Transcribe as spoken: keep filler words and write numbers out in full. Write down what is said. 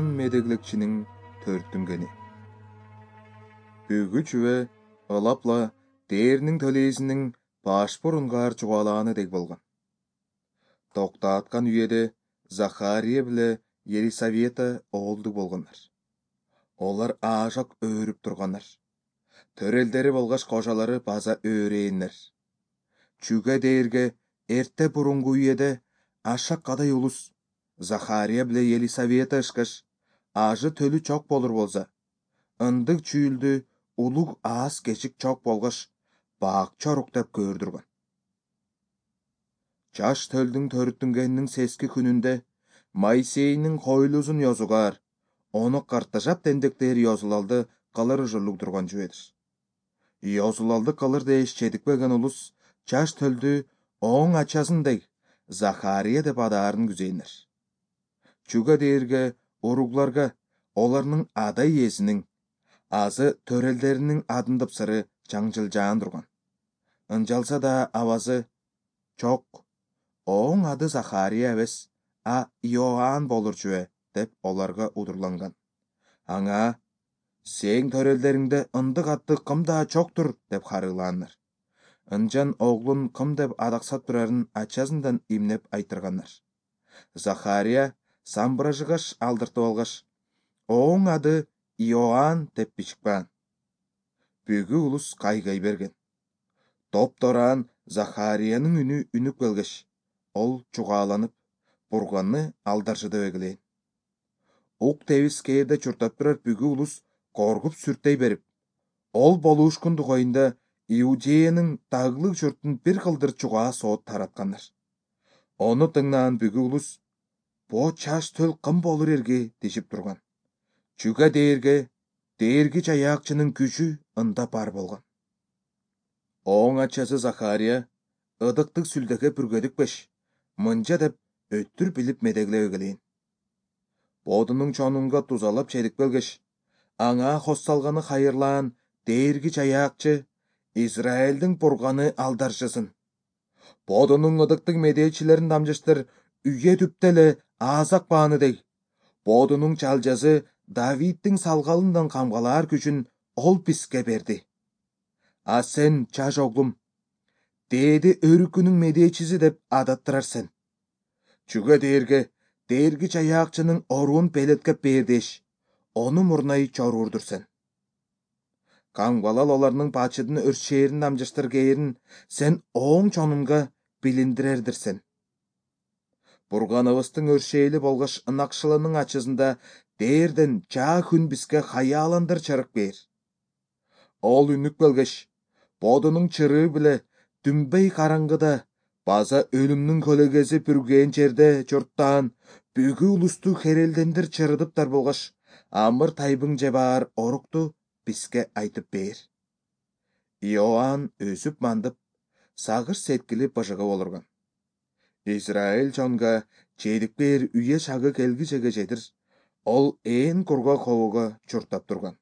Иоанн медеглекчинин төрттүнгени. Бүгү чүве ылапла дээрнин төлейсинин баш бурунгаар чугаалааны дег болгон. Токтааткан үйеде Захария биле Елисавета оолду болгоннар. Олар аажак өөрүп турганнар. Төрелдери болгаш кожалары база өөрээннер. Чүгэ дээрге эрте бурунгу үйеде ашак кадай улус Захария биле Елисавета ышкаш ажы төлү чок болур болса, ындык чүүлдү улуг аас кечик чок болгош баак чорук деп көрдүргөн. Жаш төлдүн төрүттүнгенинин сески күнүндө Моисейнин койлузун ёзугар, ону картажап дендектер ёзулалды кылыр ужурлук турган жүведир. Ёзулалды кылыр дээш чедикпеген улус жаш төлдү оң ачасындай Захария деп адаарын күзейнер. Чүгэ дээрге уругларга оларнын ада иесинин азы төрелдеринин адындыпсыры жаңжылжаан турган. Ынжалса да абазы чок, оң ады Захария эбес, а Иоанн болур чүве деп оларга удурланган. Аңа сең төрелдериңде ындык атты кымда чоктур деп харыылааннар. Ынжан оглун кым деп адаксап турарын ачасындан имнеп айтырганнар. Захария самбыражыгаш алдыртып алгаш, оң ады Иоанн деп бичикпаан. Бүгү улус кайгай берген. Топтораан Захариянын үнү үнүп келгеш, ол чугааланып, бурганны алдаржыдып эгелейин. Ук тебис кээрде чуртап турар бүгү улус коргуп сүртей берип, ол болуушкун тугайында Иудеянын дагылык журтун бир кылдыр чугаа соот тараткандар. Ону тыңнаан бүгү улус бо чаш төл кым болур эрге дешип турган. Чүгэ дээрге дээрги жаяакчынын күчү ында бар болгон. Оң ачасы Захария ыдыктык сүлдөгө бүргөдүкпеш, мынча деп өттүр билип медеглеп эгелейин. Бодунун чонунга тузалап чедип келгеш, аңа хос салганы хайырлаан дээрги жаяакчы Израилдин бурганы алдаржысын. Бодунун ыдыктык медээчилерин дамжыштыр үйе түптө эле аазак бааны дей. Бодунун чалжасы Давиддин салгалындан камгалаар күчүн ол бизге берди. А сен, жаш оглум, дээди өрүкүнүн медээчиси деп адаттырар сен. Чүгэ дээрге дээрги жаяакчынын оруун белеткеп бээр деш, ону мурнай чоруурдур сен. Камгалал оларнын бачыдын өршээрин дамжыштыр кээрин сен оң чонунга билиндирердир сен. Бурганыбыздын өршээли болгош ынакшылынын ачысында дээрден жаа күн бизге хаяландыр чырык бээр. Ол үнүп келгеш, бодунун чырыы биле дүмбей караңгыда база өлүмнүн көлөгөзү бүргөөн жерде журттаан бүгү улусту херелдендир чырыдыптар болгош амыр тайбың же баар орукту бизге айтып бээр. Иоанн өсүп мандып, сагыш сеткили быжыгы болурган. Израиль чонга чедикпээр үйе шагы келгичеге жетир, ол ээн кургак хового чуртап турган.